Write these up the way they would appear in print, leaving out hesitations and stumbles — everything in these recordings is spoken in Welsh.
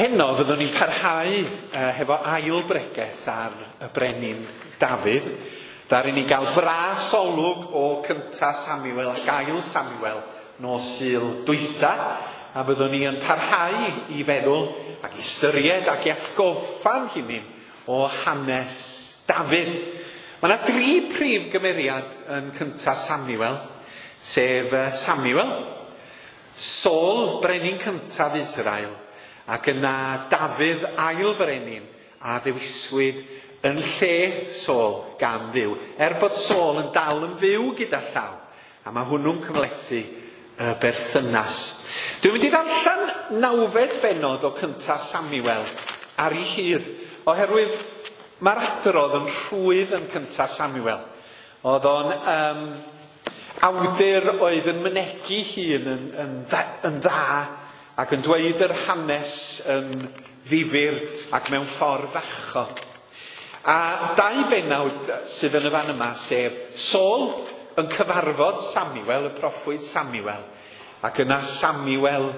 Heno fyddwn ni'n parhau hefo ail bregeth ar y brenin Dafydd. Ddaru ni gael bras olwg o cynta Samuel ac ail Samuel nos Sul dwytha, a fyddwn ni yn parhau i feddwl ac i ystyried ac i atgoffa'n hunain o hanes Dafydd. Mae yna dri prif gymeriad yn cynta Samuel, sef Samuel, Saul, brenin cyntaf Israel, ac yna Dafydd, ail frenin, a ddewiswyd yn lle Saul gan Dduw. Er bod Saul yn dal yn fyw gyda llaw, a mae hwnnw'n cymhlethu y berthynas. Dwi'n mynd i ddarllen nawfed bennod o cynta Samuel ar ei hyd, oherwydd mae'r adrodd yn rhwydd yn cynta Samuel. Oedd o'n awdur oedd yn mynegi hun yn dda ac yn dweud yr hanes yn ddifyr ac mewn ffordd fachog. A dau bennawd sydd yn y fan yma, sef Saul yn cyfarfod Samuel, y proffwyd Samuel, ac yna Samuel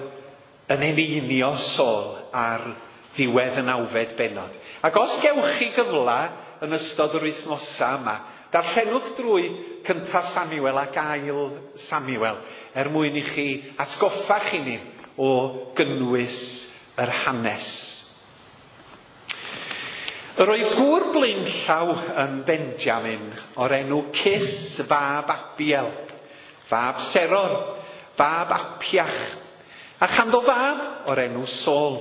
yn eneinio Saul ar ddiwedd y nawfed bennod. Ac os gewch chi gyfle yn ystod yr wythnosau yma, darllenwch drwy cynta Samuel ac ail Samuel, er mwyn i chi atgoffa chi ni o gynnwys yr hanes. Yr oedd gŵr blaenllaw yn Benjamin o'r enw Cis fab Abiel, fab Seror, fab Apiach, a chanddo fab o'r enw Saul.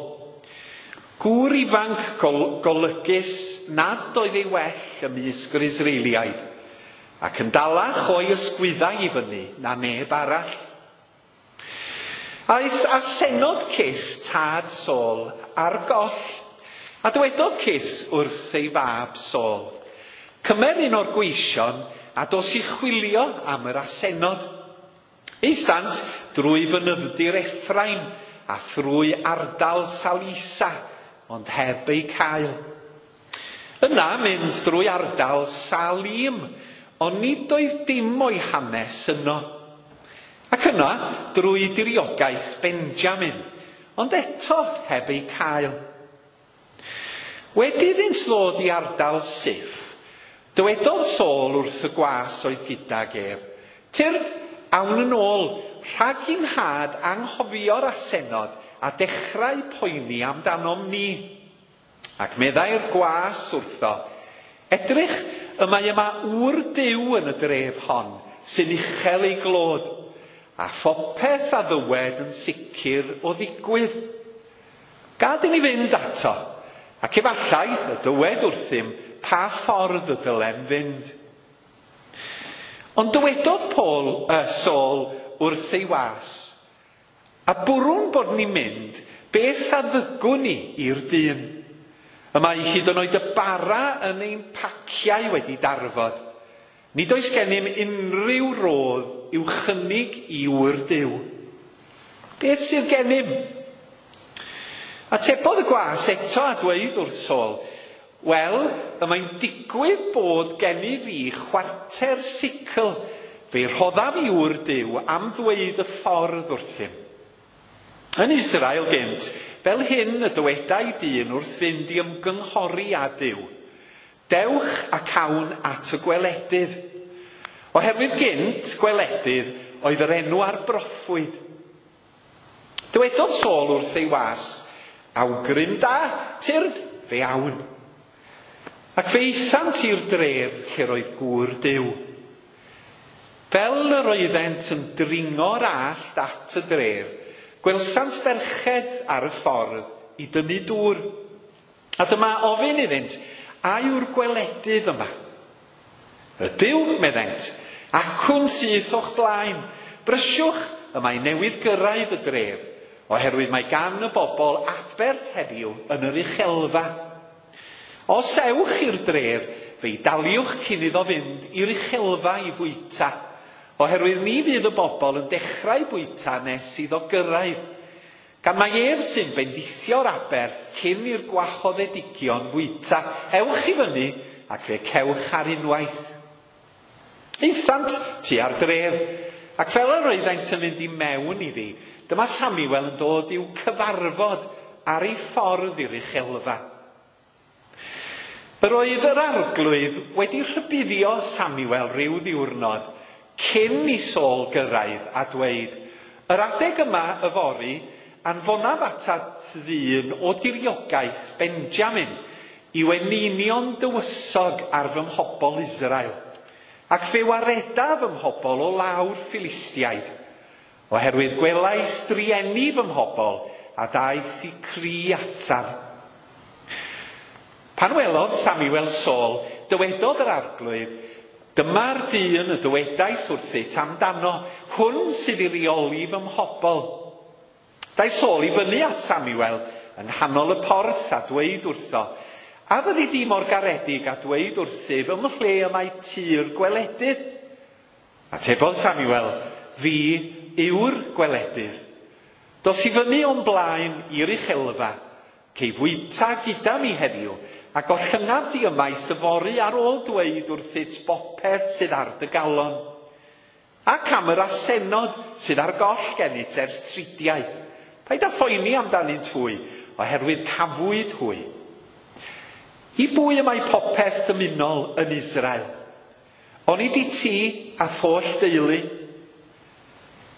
Gŵr ifanc golygus nad oedd ei well ymysg yr Israeliaid, ac yn dalach o'i ysgwyddau i fyny na neb arall. Aeth asennod Cis tad Saul ar goll, a dywedodd Cis wrth ei fab Saul, cymer un o'r gweision a dos i chwilio am yr asennod. Aethant drwy fynydd-dir Ephraim a thrwy ardal Salisa, ond heb eu cael. Yna mynd drwy ardal Salim, ond nid oedd dim o'i hanes yno. Ac yna drwy diriogaeth Benjamin, ond eto heb eu cael. Wedi iddynt ddod i ardal Siph, dywedodd Saul wrth y gwas oedd gydag ef, Tyrd, awn yn ôl, rhag i'n nhad anghofio'r asennod a dechrau poeni amdanom ni. Ac meddai'r gwas wrtho, Edrych, y mae yma ŵr Duw yn y dref hon, sy'n uchel ei glod, a phopeth a ddywed yn sicr o ddigwydd. Gad i ni fynd ato, ac efallai y dywed wrthym pa ffordd y dylem fynd. Ond dywedodd Saul wrth ei was, a bwrwn bod ni'n mynd, beth a ddygwn ni i'r dyn? Y mae hyd yn oed y bara yn ein paciau wedi darfod. Nid oes gennym unrhyw rodd i'w chynnig i ŵr Duw. Beth sydd gennym? Atebodd y gwas eto a dweud wrth Saul, Wel, y mae'n digwydd bod gennyf fi chwarter sicl, fe'i rhoddaf i ŵr Duw am ddweud y ffordd wrthym. Yn Israel gynt, fel hyn y dywedai dyn wrth fynd i ymgynghori â Duw. Dewch ac awn at y gweledydd. Oherwydd gynt, gweledydd oedd yr enw ar broffwyd. Dywedodd Saul wrth ei was, awgrym da, tyrd, fe awn. Ac fe aethant i'r dref lle roedd gŵr Duw. Fel yr oeddent yn dringo'r allt at y dref, gwelsant ferched ar y ffordd i dynnu dŵr. A dyma ofyn iddynt, a yw'r gweledydd yma? Ydyw, meddent, acwn syth o'ch blaen. Brysiwch, y mae newydd gyrraedd y dref, oherwydd mae gan y bobl aberth heddiw yn yr uchelfa. Os ewch i'r dref, fe'i daliwch cyn iddo fynd i'r uchelfa i fwyta, oherwydd ni fydd y bobl yn dechrau bwyta nes iddo gyrraedd. Gan mai ef sy'n bendithio'r aberth cyn i'r gwahoddedigion fwyta, ewch i fyny ac fe cewch ar unwaith. Aethant tua'r dref, ac fel yr oeddent yn mynd i mewn iddi, dyma Samuel yn dod i'w cyfarfod ar ei ffordd i'r uchelfa. Yr oedd yr arglwydd wedi rhybuddio Samuel rhyw ddiwrnod cyn i Saul gyrraedd a dweud, Yr adeg yma yfory, anfonaf atat ddyn o diriogaeth Benjamin i weninion dywysog ar fy mhobl Israel, ac fe wareda fy mhobl o lawr Philistiaid, oherwydd gwelais drueni fy mhobl a daeth i cri ataf. Pan welodd Samuel Saul, dywedodd yr arglwydd, Dyma'r dyn y dywedais wrthyt amdano, hwn sydd i reoli fy mhobl. Daeth Saul i fyny at Samuel yng nghanol y porth a dweud wrtho, A fyddi di mor garedig a dweud wrthyf ym mhle y mae tŷ'r gweledydd? Atebodd Samuel, Fi yw'r gweledydd. Dos i fyny o'm blaen i'r uchelfa, cei fwyta gyda mi heddiw, a gollyngaf di ymaith yfory ar ôl dweud wrthyt bopeth sydd ar dy galon. Ac am yr asennod sydd ar goll gennyt ers tridiau. Paid â phoeni amdanynt hwy, oherwydd cafwyd hwy. I bwy y mae popeth dymunol yn Israel? Onid i ti a holl deulu?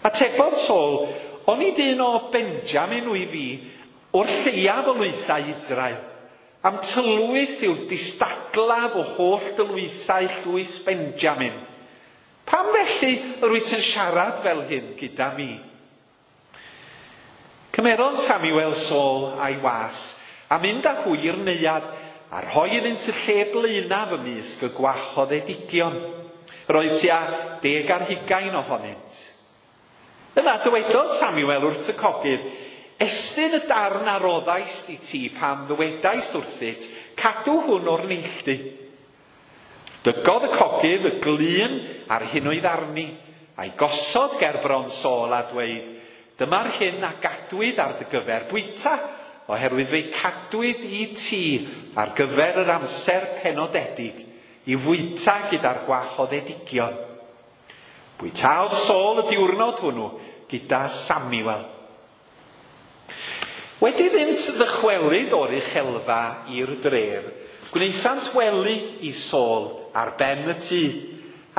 Atebodd Saul, Onid un o Benjamin wyf fi, o'r lleiaf o lwythau Israel? Am tylwyth yw'r distadlaf o holl dylwythau llwyth Benjamin. Pam felly yr wyt yn siarad fel hyn gyda mi? Cymerodd Samuel Saul a'i was, a mynd â hwy i'r neuadd, a rhoi iddynt y lle blaenaf ymysg y gwahoddedigion. Roedd tua 20 ohonynt. Yna dywedodd Samuel wrth y cogydd, Estyn y darn a roddaist i ti pan ddywedaist wrthyt, cadw hwn o'r neilltu. Dygodd y cogydd y glun a'r hyn oedd arni, a'i gosod ger bron Saul a dweud, Dyma'r hyn a gadwyd ar dy gyfer bwyta, oherwydd fe'i cadwyd i ti ar gyfer yr amser penodedig, i fwyta gyda'r gwahoddedigion. Bwytaodd Saul y diwrnod hwnnw gyda Samuel. Wedi iddynt ddychwelyd o'r uchelfa i'r dref, gwnaethant wely i Saul ar ben y tŷ,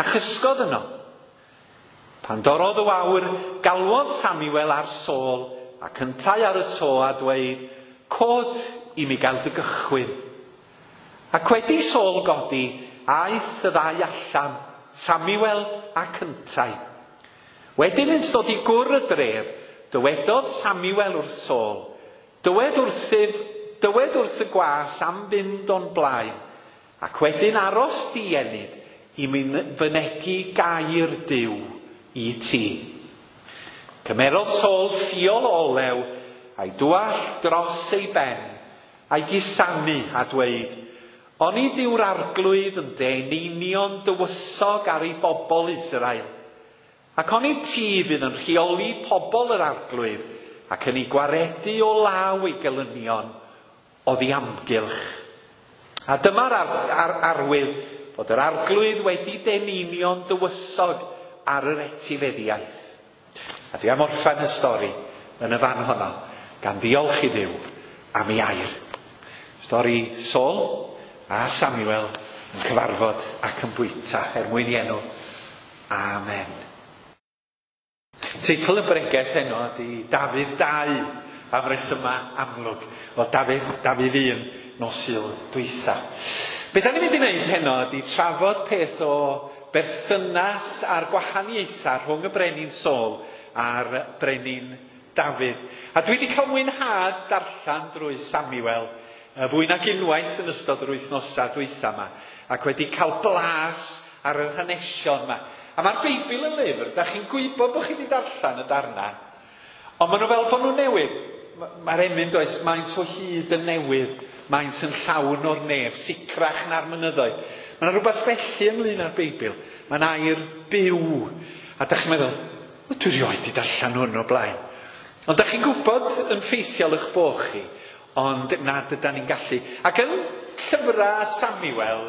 a chysgodd yno. Pan dorrodd y wawr, galwodd Samuel ar Saul ac yntau ar y to a dweud, Cod i mi gael dy gychwyn. Ac wedi Saul godi, aeth y ddau allan, Samuel ac yntau. Wedi iddynt ddod i gwr y dref, dywedodd Samuel wrth Saul, Dywed wrthyf, dywed wrth y gwas am fynd o'n blaen, ac wedyn aros di ennyd i mi fynegi gair Duw i ti. Cymerodd Saul ffiol o olew, a'i dwallt dros ei ben, a'i gusanu, a dweud, Onid yw'r arglwydd yn deneinion dywysog ar ei bobl Israel? Ac onid ti fydd yn rheoli pobl yr arglwydd ac yn ei gwaredu o law ei gelynion oddi amgylch? A dyma'r ar, ar, arwydd bod yr arglwydd wedi deneinio'n dywysog ar yr etifeddiaeth. A dwi am orffen y stori yn y fan honno, gan ddiolch i Dduw am ei air. Stori Saul a Samuel yn cyfarfod ac yn bwyta er mwyn i enw. Amen. Teitl y bregeth heno ydy Dafydd 2, am resymau amlwg. Wel, Dafydd, Dafydd 1, nos Sul dwytha. Be da ni'n mynd i wneud heno ydy trafod peth o berthynas a'r gwahaniaethau rhwng y brenin Saul a'r brenin Dafydd. A dwi wedi cael mwynhad darllen drwy Samuel fwy nag unwaith yn ystod yr wythnosau dwytha yma, ac wedi cael blas ar yr hanesion yma. A mae'r Beibl yn lyfr, da chi'n gwybod bod chi wedi darllen y darnau, ond maen nhw fel bod nhw'n newydd. Mae'r emyn does, maent o hyd yn newydd, maent yn llawn o'r nef, sicrach na'r mynyddoedd. Mae yna rhywbeth felly ynglyn â'r Beibl. Mae'n air byw. A da chi'n meddwl, o, dwi rioed wedi darllen hwn o blaen. Ond da chi'n gwybod yn ffeithiol eich bod chi, ond nad ydan ni'n gallu. Ac yn llyfrau Samuel,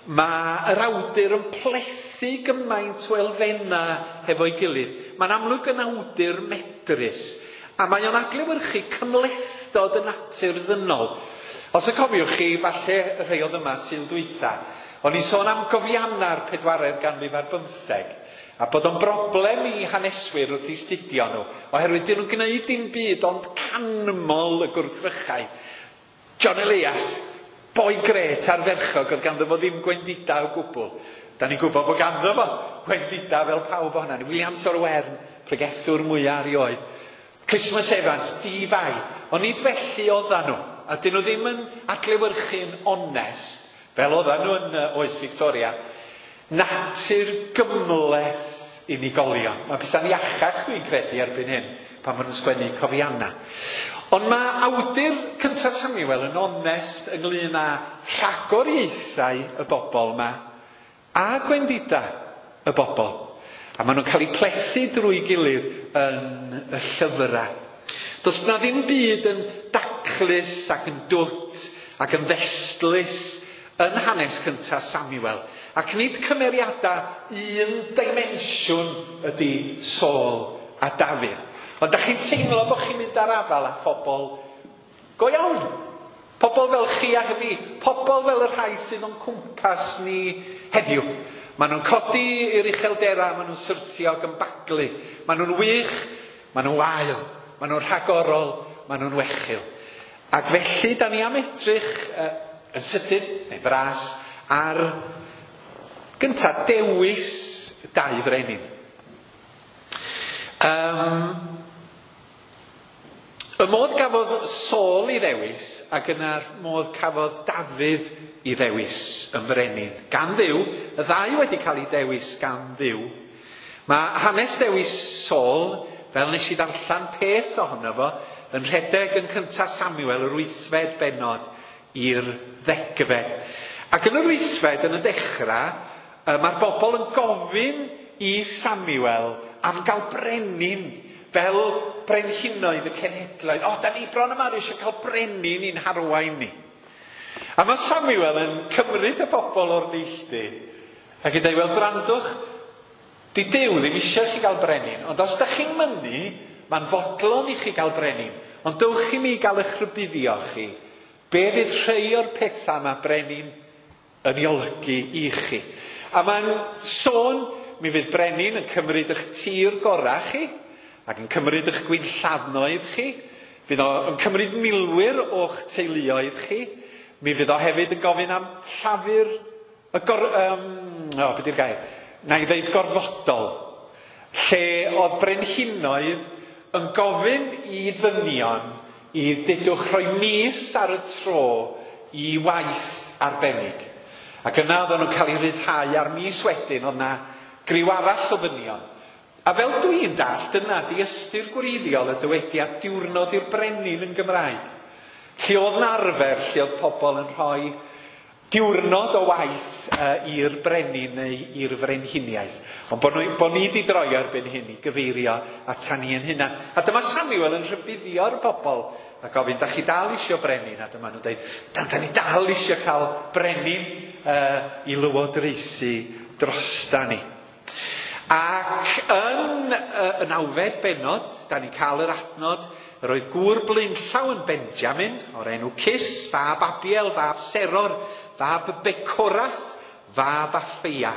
mae yr awdur yn plethu gymaint o elfennau hefo'i gilydd. Mae'n amlwg yn awdur medrus. A mae o'n adlewyrchu cymhlethdod y natur ddynol. Os y cofiwch chi, falle y rhai oedd yma Sul dwytha, o'n i'n sôn am gofianna'r pedwaredd ganrif ar bymtheg, a bod o'n broblem i haneswyr wrth i studio nhw, oherwydd dyn nhw'n gwneud dim byd ond canmol y gwrthrychau. John Elias, boi grêt ardderchog, oedd ganddo fo ddim gwendida o gwbl. Da ni'n gwybod bod ganddo fo gwendida fel pawb ohonan ni. Williams o'r Wern, pregethwr mwyaf erioed. Christmas Evans, di-fai. Ond nid felly oeddan nhw. A dyn nhw ddim yn adlewyrchu'n onest, fel oeddan nhw yn oes Victoria. Natur gymhleth unigolion. Mae pethau'n iachach, dwi'n credu, erbyn hyn, pan maen nhw'n sgwennu cofianna. Ond mae awdur cyntaf Samuel yn onest ynglyn â rhagoriaethau y bobl yma a gwendida y bobl. A maen nhw'n cael eu plethu drwy gilydd yn y llyfrau. Does na ddim byd yn daclus ac yn dwt ac yn ddestlus yn hanes cyntaf Samuel. Ac nid cymeriadau un dimensiwn ydy Saul a Dafydd. Ond da chi'n teimlo bod chi'n mynd ar afal â phobl go iawn. Pobl fel chi a fi. Pobl fel y rhai sydd o'n cwmpas ni heddiw. Maen nhw'n codi i'r uchelderau, maen nhw'n syrthio ac yn baglu. Maen nhw'n wych, maen nhw'n wael, maen nhw'n rhagorol, maen nhw'n wechil. Ac felly, da ni am edrych yn sydyn, neu fras, ar gyntaf dewis dau frenin. Y modd gafodd Saul i ddewis ac yna'r modd cafodd Dafydd i ddewis yn frenin. Gan Dduw, y ddau wedi cael ei dewis gan Dduw. Mae hanes dewis Saul, fel nes i ddarllen peth ohono fo, yn rhedeg yn cyntaf Samuel yr 8fed bennod i'r 10fed. Ac yn yr 8fed, yn y dechrau, mae'r bobl yn gofyn i Samuel am gael brenin fel brenhinoedd y cenhedloedd. O, da ni bron yma eisiau cael brenin i'n harwain ni. A mae Samuel yn cymryd y bobl o'r neilltu ac yn dweud, wel, gwrandwch, di Duw ddim eisiau chi gael brenin, ond os da chi'n mynnu, mae'n fodlon i chi gael brenin, ond dewch i mi gael eich rhybuddio chi, be fydd rhai o'r pethau mae brenin yn ei olygu i chi. A mae'n sôn, mi fydd brenin yn cymryd eich tir gorau chi, ac yn cymryd eich gwinllannoedd chi, fydd o'n cymryd milwyr o'ch teuluoedd chi, mi fydd o hefyd yn gofyn am llafur, y be di'r gair? Na i ddeud gorfodol, lle oedd brenhinoedd yn gofyn i ddynion i ddedwch rhoi mis ar y tro i waith arbennig. Ac yna oedden nhw'n cael eu rhyddhau ar mis wedyn, oedd na griw arall o ddynion. A fel dwi'n dallt, dyna di ystyr gwreiddiol y dywediad diwrnod i'r brenin yn Gymraeg. Lle oedd yn arfer, lle oedd pobl yn rhoi diwrnod o waith i'r brenin neu i'r frenhiniaeth. Ond bod ni wedi droi erbyn hyn i gyfeirio ata ni yn hynna. A dyma Samuel yn rhybuddio'r bobl a gofyn, da chi dal isio brenin? A dyma nhw'n dweud, da ni dal isio cael brenin i lywodraethu drosta ni. Ac yn y 9fed bennod, da ni'n cael yr adnod, yr oedd gŵr blaenllaw yn Benjamin, o'r enw Cis, fab Abiel, fab Seror, fab Becorath, fab Apheia.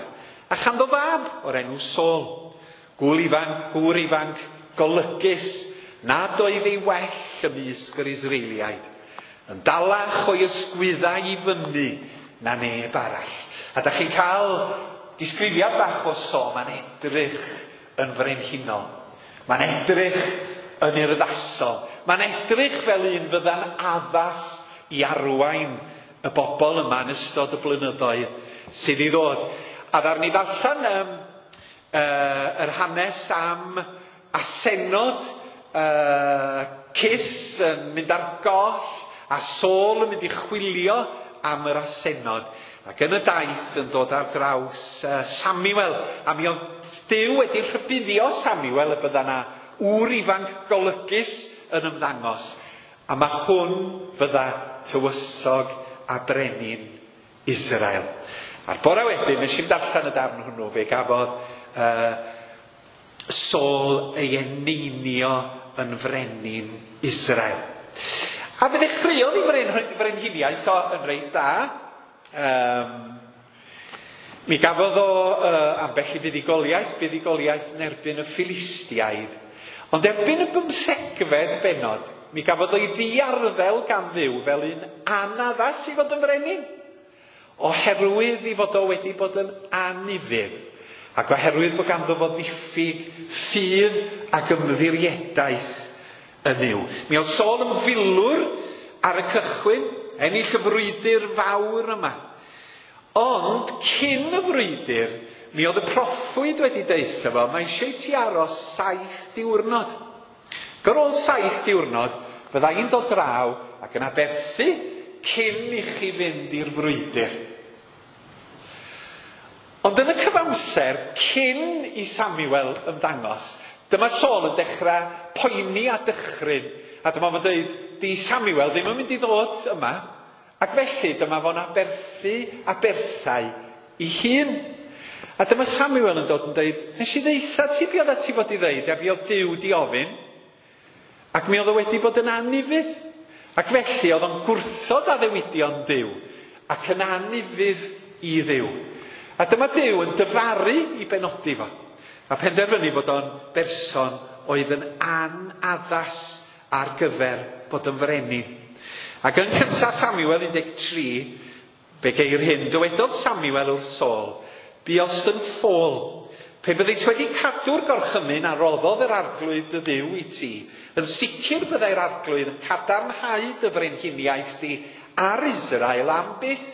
A chanddo fab o'r enw Saul. Gŵr ifanc, golygus, nad oedd ei well ymysg yr Israeliaid. Yn dalach o'i ysgwyddau i fyny na neb arall. A da chi'n cael disgrifiad bach o Saul, mae'n edrych yn frenhinol. Mae'n edrych yn urddasol. Mae'n edrych fel un fydda'n addas i arwain y bobl yma yn ystod y blynyddoedd sydd i ddod. A ddaru ni ddarllen yr hanes am asennod Cis yn mynd ar goll a Saul yn mynd i chwilio am yr asennod. Ac yn y daith yn dod ar draws Samuel. A mi oedd Duw wedi rhybuddio Samuel y bydda na ŵr ifanc golygus yn ymddangos. A mae hwn fydda tywysog a brenin Israel. A'r bore wedyn, nes i'm darllen y darn hwnnw, fe gafodd Saul ei eneinio yn frenin Israel. A fe ddechreuodd ei frenhiniaeth o yn reit da. Mi gafodd o ambell i fuddugoliaeth, buddugoliaeth yn erbyn y Philistiaid. Ond erbyn y 15fed bennod, mi gafodd o'i ddiarddel gan Dduw fel un anaddas i fod yn frenin, oherwydd i fod o wedi bod yn anufudd, ac oherwydd bod ganddo fo ddiffyg ffydd ac ymddiriedaeth yn Nuw. Mi oedd Saul yn filwr ar y cychwyn, ennill y frwydr fawr yma. Ond cyn y frwydr, mi oedd y proffwyd wedi deutha fo, mae eisiau ti aros 7 diwrnod. Ac ar ôl 7 diwrnod, fydda i'n dod draw ac yn aberthu cyn i chi fynd i'r frwydr. Ond yn y cyfamser, cyn i Samuel ymddangos, dyma Saul yn dechrau poeni a dychryn, a dyma fo'n dweud, di Samuel ddim yn mynd i ddod yma, ac felly dyma fo'n aberthu aberthau i hun. A dyma Samuel yn dod yn dweud, nes i ddeutha ti be oeddet ti fod i ddeud, a be oedd Duw di ofyn, ac mi oedd o wedi bod yn anufudd. Ac felly oedd o'n gwrthod addewidion Duw, ac yn anufudd i Dduw. A dyma Duw yn dyfaru i benodi fo, a penderfynu bod o'n berson oedd yn anaddas ar gyfer bod yn frenin. Ac yn cyntaf Samuel 13, fe geir hyn, dywedodd Samuel wrth Saul, buost yn ffôl, pe byddit wedi cadw'r gorchymyn a roddodd yr arglwydd dy Dduw i ti, yn sicr byddai'r arglwydd yn cadarnhau dy frenhiniaeth di ar Israel am byth.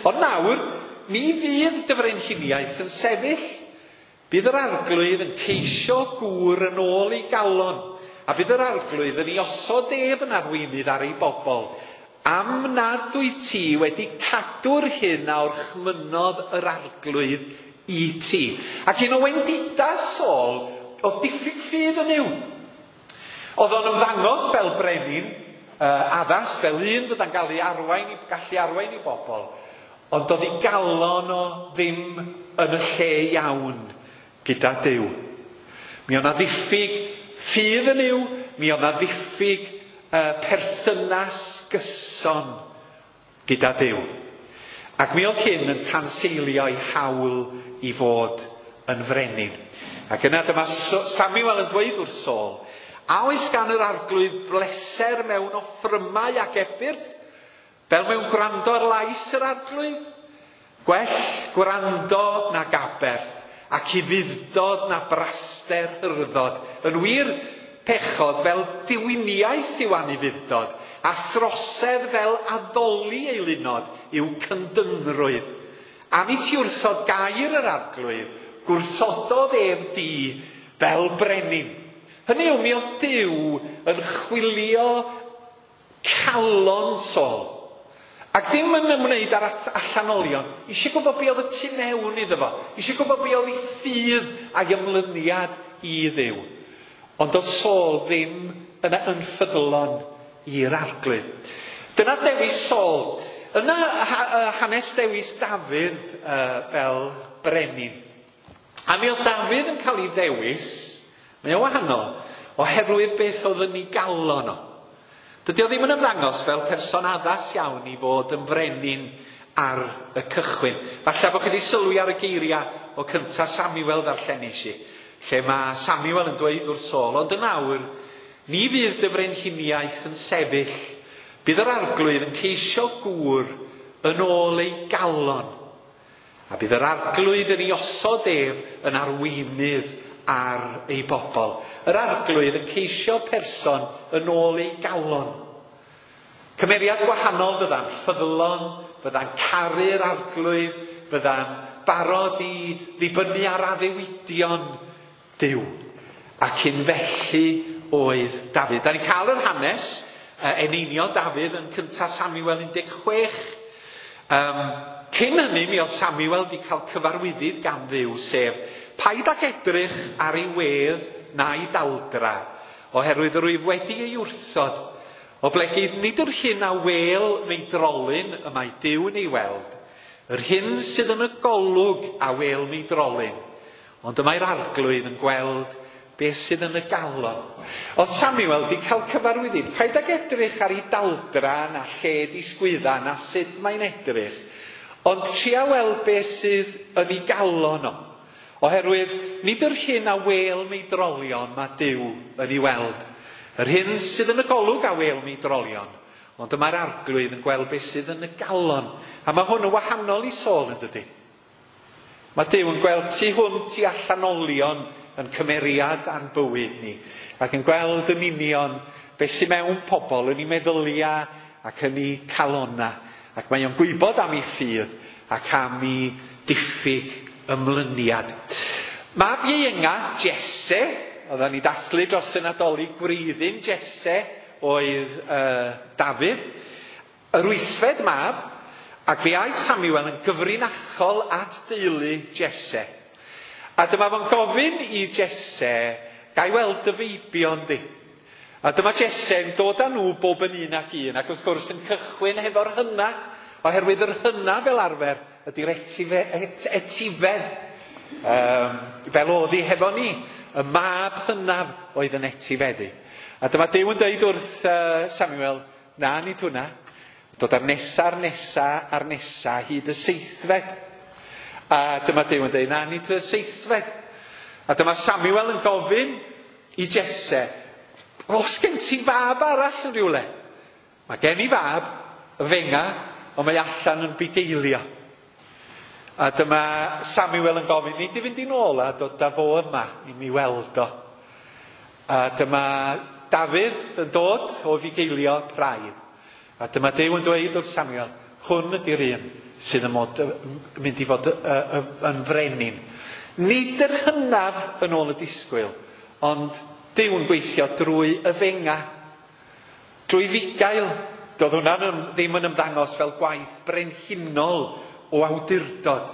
Ond nawr, mi fydd dy frenhiniaeth yn sefyll. Bydd yr arglwydd yn ceisio gŵr yn ôl ei galon, a bydd yr arglwydd yn ei osod ef yn arweinydd ar ei bobl, am nad wyt ti wedi cadw'r hyn a orchmynnodd yr arglwydd i ti. Ac un o wendidau Saul oedd diffyg ffydd yn Nuw. Oedd o'n ymddangos fel brenin addas, fel un fydda'n gallu arwain, gallu arwain i bobl, ond oedd ei galon o ddim yn y lle iawn gyda Duw. Mi oedd 'na ddiffyg ffydd yn Nuw, mi oedd 'na ddiffyg perthynas gyson gyda Duw. Ac mi oedd hyn yn tanseilio ei hawl i fod yn frenin. Ac yna dyma Samuel yn dweud wrth Saul, a oes gan yr arglwydd bleser mewn offrymau ac ebyrth, fel mewn gwrando ar lais yr arglwydd? Gwell gwrando nag aberth, ac ufudd-dod na braster hyrddod. Yn wir, pechod fel diwiniaeth yw anufudd-dod, a throsedd fel addoli eilunod yw cyndynrwydd. Am i ti wrthod gair yr arglwydd, gwrthododd ef di fel brenin. Hynny yw, mi oedd Duw yn chwilio calon Saul. Ac ddim yn ymwneud â'r allanolion. Eisiau gwybod be oedd y tu mewn iddo fo. Eisiau gwybod be oedd ei ffydd a'i ymlyniad i Dduw. Ond oedd Saul ddim yn ynffyddlon i'r arglwydd. Dyna dewis Saul. Yna hanes dewis Dafydd fel brenin. A mi oedd Dafydd yn cael ei ddewis, mae o'n wahanol, oherwydd beth oedd yn ei galon o. Dydy o ddim yn ymddangos fel person addas iawn i fod yn frenin ar y cychwyn. Falle bod chi wedi sylwi ar y geiriau o cyntaf Samuel ddarllenis i, lle mae Samuel yn dweud wrth Saul, ond yn awr, ni fydd dy frenhiniaeth yn sefyll, bydd yr arglwydd yn ceisio gŵr yn ôl ei galon, a bydd yr arglwydd yn ei osod ef yn arweinydd ar ei bobl. Yr arglwydd yn ceisio person yn ôl ei galon. Cymeriad gwahanol fydda'n ffyddlon, fydda'n caru'r arglwydd, fydda'n barod i ddibynnu ar addewidion Duw. Ac un felly oedd Dafydd. Da ni'n cael yr hanes, eneinio Dafydd yn cyntaf Samuel 16. Cyn hynny, mi oedd Samuel wedi cael cyfarwyddyd gan Dduw, sef paid ag edrych ar ei wedd na'i daldra, oherwydd yr wyf wedi ei wrthod, oblegid nid yr hyn a wel meidrolyn y mae Duw yn ei weld, yr hyn sydd yn y golwg a wel meidrolyn, ond y mae'r arglwydd yn gweld Beth sydd yn y galon. Oedd Samuel wedi cael cyfarwyddyd. Paid ag edrych ar ei daldra na lled ei sgwydda na sut mae'n edrych. Ond tria weld beth sydd yn ei galon o. Oherwydd nid yr hyn a wêl meidrolion mae Duw yn ei weld. Yr hyn sydd yn y golwg a wêl meidrolion. Ond y mae'r Arglwydd yn gweld beth sydd yn y galon. A mae hwn yn wahanol i Saul, yn dydy? Mae Duw yn gweld tu hwnt i allanolion yn cymeriad a'n bywyd ni, ac yn gweld yn union beth sydd mewn pobl yn eu meddyliau ac yn eu calonnau. Ac mae o'n gwybod am eu ffydd ac am eu diffyg ymlyniad. Mab ieuenga, Jesse, oedden ni dathlu dros y Nadolig, gwreiddyn Jesse oedd Dafydd, yr wythfed mab, ac fe aeth Samuel yn gyfrinachol at deulu Jesse. A dyma fo'n gofyn i Jesse, ga i weld dy feibion di? A dyma Jesse yn dod â nhw bob yn un ac un, ac wrth gwrs yn cychwyn hefo'r hynna, oherwydd yr hynna fel arfer ydy'r etifedd. Fel oedd hi hefo ni, y mab hynaf oedd yn etifeddu. A dyma Duw yn dweud wrth Samuel, na, nid hwnna. Dod â'r nesa, a'r nesa, a'r nesa, hyd y seithfed. A dyma Duw yn dweud, na, nid y seithfed. A dyma Samuel yn gofyn i Jesse, oes gen ti fab arall yn rhywle? Mae gen i fab, y fenga, ond mae allan yn bugeilio. A dyma Samuel yn gofyn, nid i fynd i nôl a dod â fo yma i mi weld o. A dyma Dafydd yn dod o fugeilio praidd. A dyma Duw yn dweud wrth Samuel, hwn ydy'r un sydd yn mynd i fod yn frenin. Nid yr hynaf yn ôl y disgwyl, ond Duw yn gweithio drwy y fenga, drwy fugail. Doedd hwnna ddim yn ymddangos fel gwaith brenhinol o awdurdod.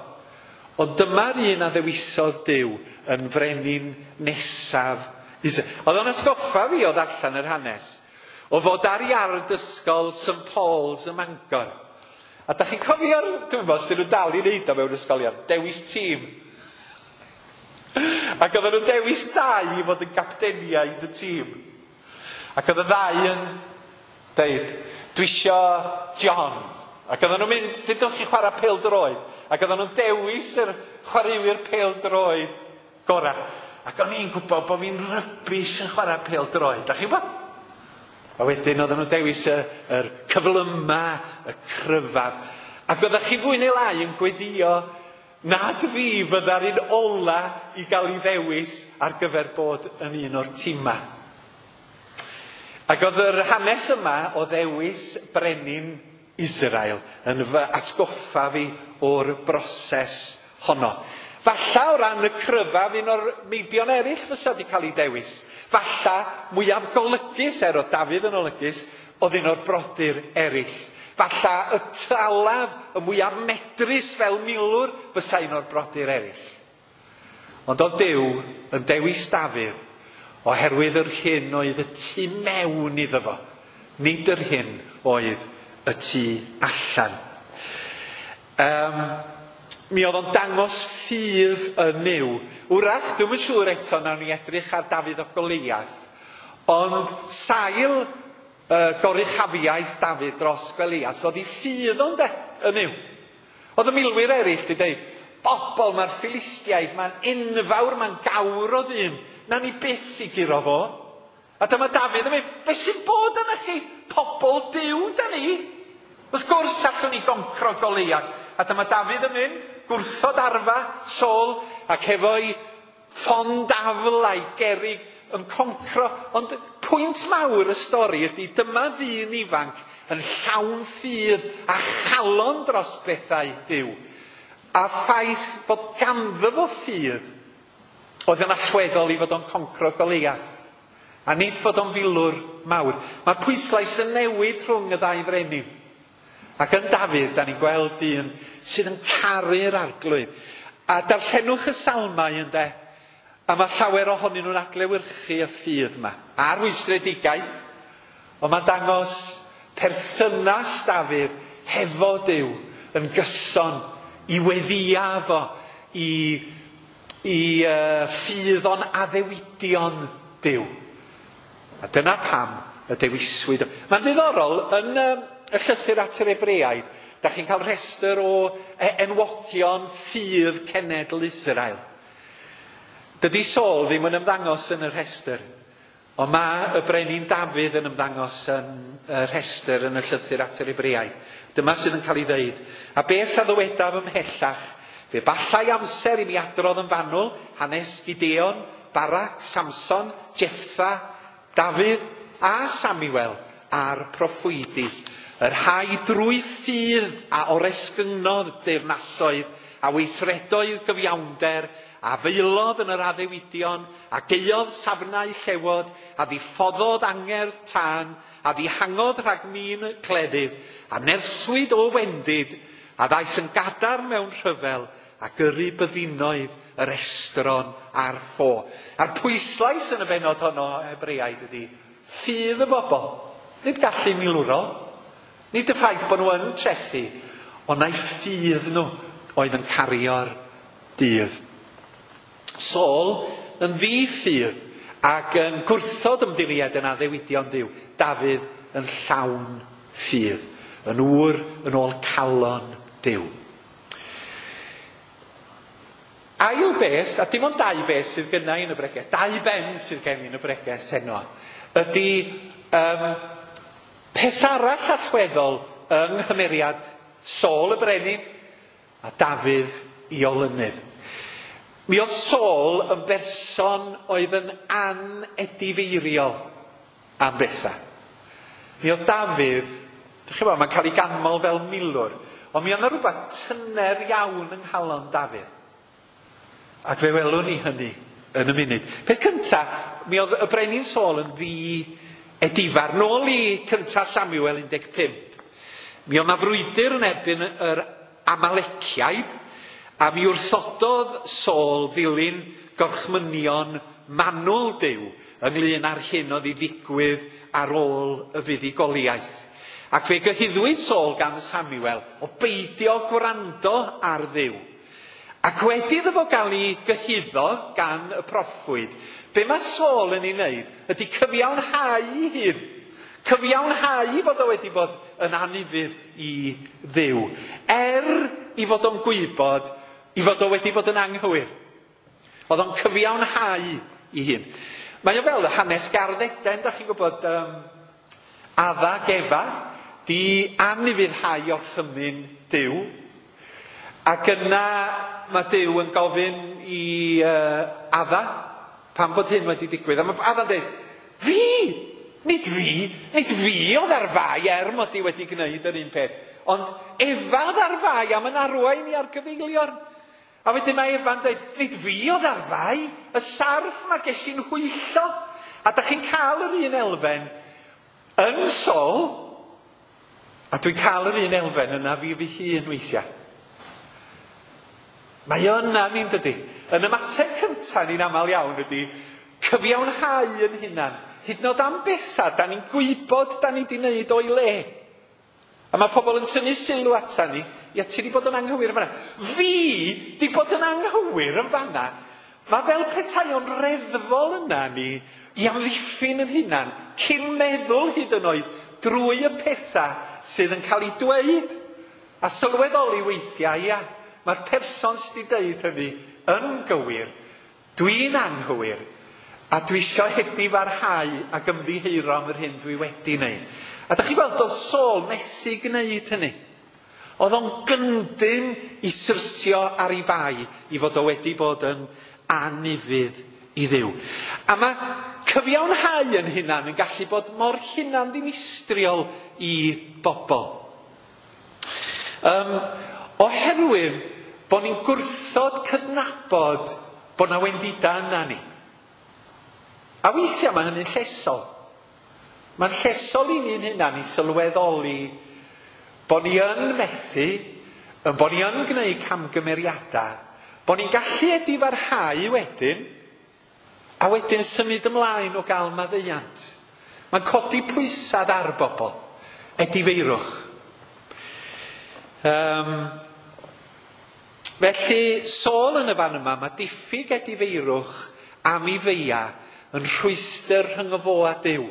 Ond dyma'r un a ddewisodd Duw yn frenin nesaf Israel. Oedd o'n atgoffa fi o ddarllen yr hanes, o fod ar iard ysgol St Paul's ym Mangor. A da chi'n cofio'r, dwi'n meddwl, os dyn nhw dal i wneud o mewn ysgolion, dewis tîm. Ac oedden nhw'n dewis dau i fod yn gapteniaid y tîm. Ac oedd y ddau yn deud, dwi isio John. Ac oedden nhw'n mynd, dydwch chi chwarae pêl-droed. Ac oedden nhw'n dewis yr chwaraewyr pêl-droed gorau. Ac o'n i'n gwybod bod fi'n rybish yn chwarae pêl-droed. Da chi'n gwybod? A wedyn oedden nhw'n dewis yr cyflyma, y cryfaf. Ac oeddech chi fwy neu lai yn gweddio nad fi fydda'r un ola i gael ei ddewis ar gyfer bod yn un o'r tîma. Ac oedd yr hanes yma o ddewis brenin Israel yn fy atgoffa fi o'r broses honno. Falla o ran y cryfaf un o'r meibion eraill fysa wedi cael ei dewis. Falla mwyaf golygus, er oedd Dafydd yn olygus, oedd un o'r brodyr eraill. Falla y talaf, y mwyaf medrus fel milwr, fysa un o'r brodyr eraill. Ond oedd Duw yn dewis Dafydd oherwydd yr hyn oedd y tu mewn iddo fo, nid yr hyn oedd y tu allan. Mi oedd o'n dangos ffydd yn Nuw. Wrach, dwi'm yn siŵr eto, nawn ni edrych ar Dafydd o Goliath, ond sail goruchafiaeth Dafydd dros Goliath oedd ei ffydd o'n de, yn Nuw. Oedd y milwyr eraill wedi dweud, bobl, mae'r Philistiaid, mae'n enfawr, mae'n gawr o ddyn, na ni byth i guro fo. A dyma Dafydd yn mynd, beth sy'n bod yna chi? Pobl Duw da ni. Wrth gwrs allwn ni goncro Goliath. A dyma Dafydd yn mynd, gwrthod arfa, Saul, ac efo'i ffon dafl a'i gerig yn concro. Ond pwynt mawr y stori ydy dyma ddyn ifanc yn llawn ffydd a chalon dros bethau Duw. A ffaith fod ganddo fo ffydd oedd yn allweddol i fod o'n concro Goliath. A nid fod o'n filwr mawr. Mae'r pwyslais yn newid rhwng y ddau frenin. Ac yn Dafydd, da ni'n gweld dyn sydd yn caru'r Arglwydd. A darllenwch y salmau ynde, a mae llawer ohonyn nhw'n adlewyrchu y ffydd yma. A'r rwystredigaeth, ond mae'n dangos perthynas Dafydd hefo Duw yn gyson i weddïa fo, i ffydd o'n addewidion Duw. A dyna pam y dewiswyd. Mae'n ddiddorol, yn y llythyr at yr Hebreaid, da chi'n cael rhestr o enwogion ffydd cenedl Israel. Dydy Saul ddim yn ymddangos yn y rhestr, ond mae y brenin Dafydd yn ymddangos yn y rhestr yn y llythyr at yr Hebreaid. Dyma sydd yn cael ei ddeud. A beth a ddywedaf ymhellach? Fe ballai amser i mi adrodd yn fanwl hanes Gideon, Barak, Samson, Jefftha, Dafydd a Samuel a'r proffwydi, y rhai drwy ffydd a oresgynnodd deyrnasoedd, a weithredoedd gyfiawnder, a faelodd yn yr addewidion, a gaeodd safnau llewod, a ddiffoddodd angerdd tân, a ddihangodd rhag min cleddyf, a nerswyd o wendid, a ddaeth yn gadarn mewn rhyfel, a gyrru byddinoedd yr estron a'r ffo. A'r pwyslais yn y bennod honno Hebreaid ydy ffydd y bobl. Nid gallu milwrol, nid y ffaith bod nhw yn trechu, ond na'i ffydd nhw oedd yn cario'r dydd. Saul yn ddi-ffydd ac yn gwrthod ymddiried yn addewidion Duw. Dafydd yn llawn ffydd, yn ŵr yn ôl calon Duw. Ail beth, a dim ond dau beth sydd gynna i yn y bregeth, dau ben sydd gen i yn y bregeth heno, ydy peth arall allweddol yng nghymeriad Saul y brenin a Dafydd i olynydd. Mi oedd Saul yn berson oedd yn anedifeiriol am bethau. Mi oedd Dafydd, dych chi'n gwybod, mae'n cael ei ganmol fel milwr, ond mi oedd yna rhywbeth tyner iawn yng nghalon Dafydd. Ac fe welwn ni hynny yn y munud. Peth cynta, mi oedd y brenin Saul yn ddi-edifar. Nôl i cynta Samuel 15. Mi oedd 'na frwydr yn erbyn yr Amaleciaid, a mi wrthododd Saul ddilyn gorchmynion manwl Duw ynglyn â'r hyn oedd i ddigwydd ar ôl y fuddugoliaeth. Ac fe gyhuddwyd Saul gan Samuel o beidio gwrando ar Dduw. Ac wedi iddo fo gael ei gyhuddo gan y proffwyd, be mae Saul yn ei wneud ydy cyfiawnhau ei hun. Cyfiawnhau fod o wedi bod yn anufudd i Dduw. Er i fod o'n gwybod i fod o wedi bod yn anghywir. Oedd o'n cyfiawnhau ei hun. Mae o fel hanes Gardd Eden, da chi'n gwybod, Adda ac Efa, di anufuddhau orchymyn Duw. Ac yna mae Duw yn gofyn i Adda pam bod hyn wedi digwydd. A mae Adda'n dweud, fi! Nid fi! Nid fi oedd ar fai er mod i wedi gwneud yr un peth. Ond Efa oedd ar fai am yn arwain i ar gyfeiliorn. A wedyn mae Efa'n dweud, nid fi oedd ar fai, y sarff mae ges i'n hwyllo. A da chi'n cael yr un elfen yn Saul, a dwi'n cael yr un elfen yna fi fy hun weithiau. Mae o yna ni'n dydy. Yn ymateb cyntaf ni'n aml iawn ydy cyfiawnhau yn hunan. Hyd yn oed am bethau da ni'n gwybod da ni wedi wneud o'i le. A mae pobl yn tynnu sylw ata ni, ia ti wedi bod yn anghywir yn fanna. Fi di bod yn anghywir yn fanna. Mae fel petai o'n reddfol yna ni i amddiffyn yn hunan, cyn meddwl hyd yn oed drwy y pethau sydd yn cael ei dweud. A sylweddoli weithiau, ia, mae'r person sydd wedi dweud hynny yn gywir. Dwi'n anghywir. A dwi isio edifarhau ac ymddiheuro am yr hyn dwi wedi wneud. A da chi'n gweld, oedd Saul methu gwneud hynny. Oedd o'n gyndyn i syrthio ar ei fai i fod o wedi bod yn anufudd i Dduw. A mae cyfiawnhau yn hunan yn gallu bod mor hunan ddinistriol i bobl. Oherwydd bod ni'n gwrthod cydnabod bod na wendida yna ni. A weithiau mae hynny'n llesol. Mae'n llesol i ni'n hunan i sylweddoli bod ni yn methu, bod ni yn gwneud camgymeriadau, bod ni'n gallu edifarhau wedyn, a wedyn symud ymlaen o gael maddeuant. Mae'n codi pwysad ar bobl. Edifeirwch. Felly, Saul yn y fan yma, mae diffyg edifeirwch am ei feia yn rhwystr rhyngo fo a Duw.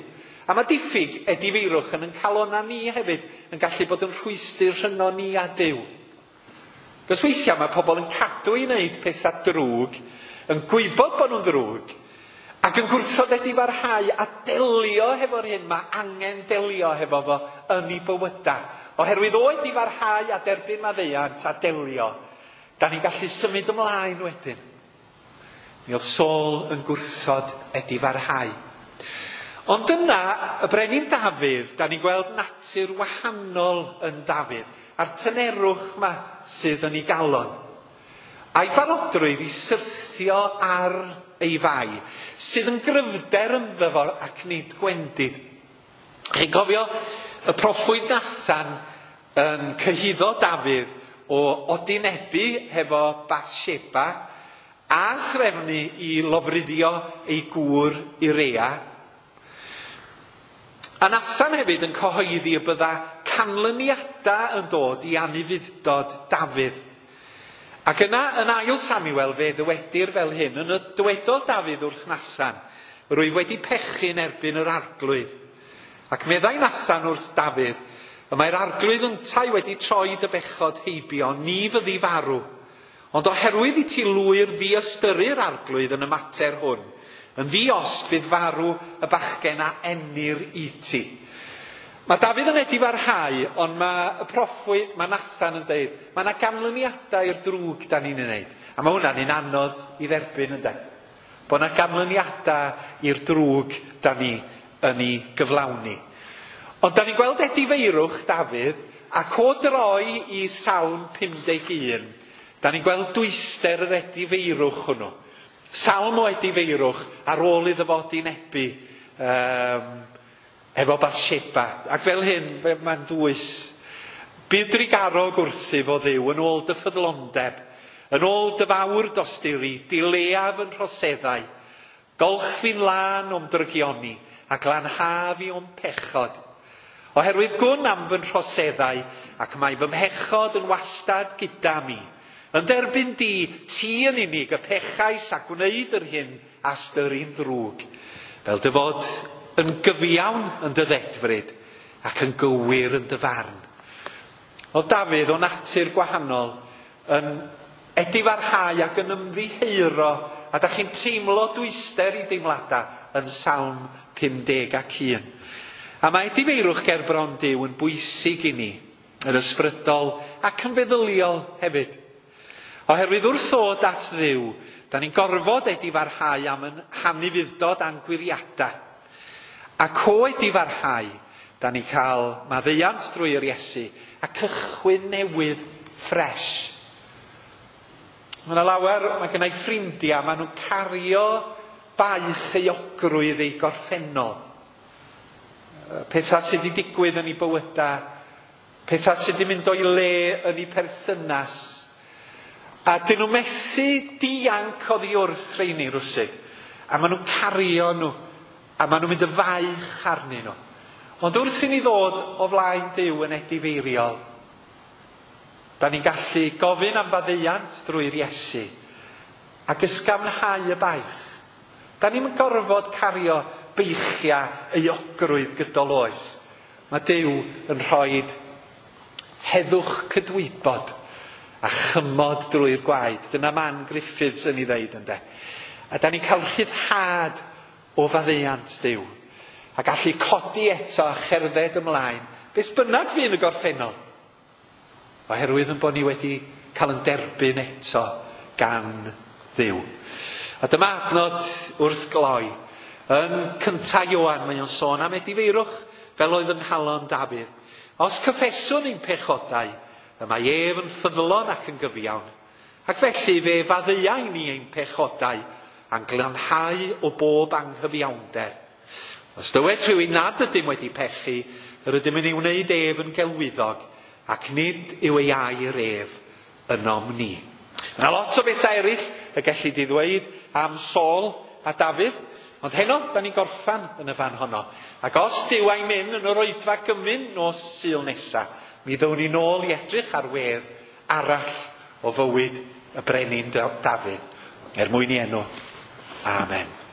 A mae diffyg edifeirwch yn ein calona ni hefyd yn gallu bod yn rhwystr rhyngo ni a Duw. Cos weithiau mae pobl yn cadw i wneud pethau drwg, yn gwybod bod nhw'n ddrwg, ac yn gwrthod edifarhau a delio hefo'r hyn mae angen delio hefo fo yn ei bywydau. Oherwydd o edifarhau a derbyn maddeuant a delio, da ni'n gallu symud ymlaen wedyn. Mi oedd Saul yn gwrthod edifarhau. Ond yna, y brenin Dafydd, da ni'n gweld natur wahanol yn Dafydd, a'r tynerwch yma sydd yn ei galon. A'i barodrwydd i syrthio ar ei fai, sydd yn gryfder ynddo fo ac nid gwendid. Chi'n cofio y proffwyd Nathan yn cyhuddo Dafydd o odinebu hefo Bathsheba a threfnu i lofruddio ei gŵr Urea. A Nathan hefyd yn cyhoeddi y bydda canlyniadau yn dod i anufudd-dod Dafydd. Ac yna, yn ail Samuel, fe ddywedir fel hyn, yn y dywedodd Dafydd wrth Nathan, rwyf wedi pechu yn erbyn yr arglwydd. Ac meddai Nathan wrth Dafydd, y mae'r arglwydd yntau wedi troi dy bechod heibio, ni fyddi farw. Ond oherwydd i ti lwyr ddiystyru'r arglwydd yn y mater hwn, yn ddi-os bydd farw y bachgen a enir i ti. Mae Dafydd yn edifarhau, ond mae y proffwyd, mae Nathan yn deud, mae yna ganlyniadau i'r drwg da ni'n ei wneud. A mae hwnna'n un anodd i dderbyn, ynde? Bod yna ganlyniadau i'r drwg da ni yn ei gyflawni. Ond da ni'n gweld edifeirwch Dafydd, ac o droi i Salm 51, da ni'n gweld dwyster yr edifeirwch hwnnw. Salm o edifeirwch ar ôl iddo fo odinebu efo Bathsheba. Ac fel hyn, mae'n ddwys. Bydd drugarog wrthyf o Dduw yn ôl dy ffyddlondeb, yn ôl dy fawr dosturi, dileaf yn rhoseddau, golch fi'n lân o'm drygioni, a glanha fi o'm pechod. Oherwydd gwn am fy nhroseddau, ac mae fy mhechod yn wastad gyda mi. Yn derbyn di, ti yn unig, y pechais a gwneud yr hyn a styri'n ddrwg. Fel dy fod yn gyfiawn yn dy ddedfryd ac yn gywir yn dy farn. Oedd Dafydd o natur gwahanol yn edifarhau ac yn ymddiheuro, a da chi'n teimlo dwyster i deimladau yn Salm 51. A mae edifeirwch ger bron Duw yn bwysig i ni, yn ysbrydol ac yn feddyliol hefyd. Oherwydd wrth ddod at Dduw, da ni'n gorfod edifarhau am yn hanufudd-dod a'n gwiriadau. Ac o edifarhau, da ni'n cael maddeuant drwy yr Iesu a cychwyn newydd ffres. Mae yna lawer, mae gennau ffrindiau, maen nhw'n cario baich euogrwydd eu gorffennol. Pethau sydd wedi digwydd yn eu bywydau, pethau sydd wedi mynd o'i le yn eu perthynas. A dyn nhw methu dianc oddi wrth rheini rwsut. A maen nhw'n cario nhw, a maen nhw'n mynd y faich arnyn nhw. Ond wrth i ni ddod o flaen Duw yn edifeiriol, da ni'n gallu gofyn am faddeuant drwy'r Iesu ac ysgafnhau y baich. Da ni'n gorfod cario beichiau euogrwydd gydol oes. Mae Duw yn rhoi heddwch cydwybod a chymod drwy'r gwaed. Dyna Man Griffiths yn ei ddeud, ynde. A da ni'n cael rhyddhad o faddeuant Duw. A gallu codi eto a cherdded ymlaen, beth bynnag fydd yn y gorffennol. Oherwydd yn bod ni wedi cael yn derbyn eto gan Dduw. A dyma adnod wrth gloi. Yn cynta Ioan, mae o'n sôn am edifeirwch fel oedd yng nghalon Dafydd. Os cyffeswn ein pechodau, y mae ef yn ffyddlon ac yn gyfiawn. Ac felly fe faddeuai ni ein pechodau a'n glanhau o bob anghyfiawnder. Os dywed rhywun nad ydym wedi pechu, yr ydym yn ei wneud ef yn gelwyddog, ac nid yw ei air ef ynom ni. Mae yna lot o bethau eraill y gelli di ddweud am Saul a Dafydd, ond heno, da ni'n gorffan yn y fan honno. Ac os Duw a'i mynd yn yr oedfa gymun nos Sul nesa, mi ddown ni nôl i edrych ar wedd arall o fywyd y brenin Dafydd, er mwyn i enw. Amen.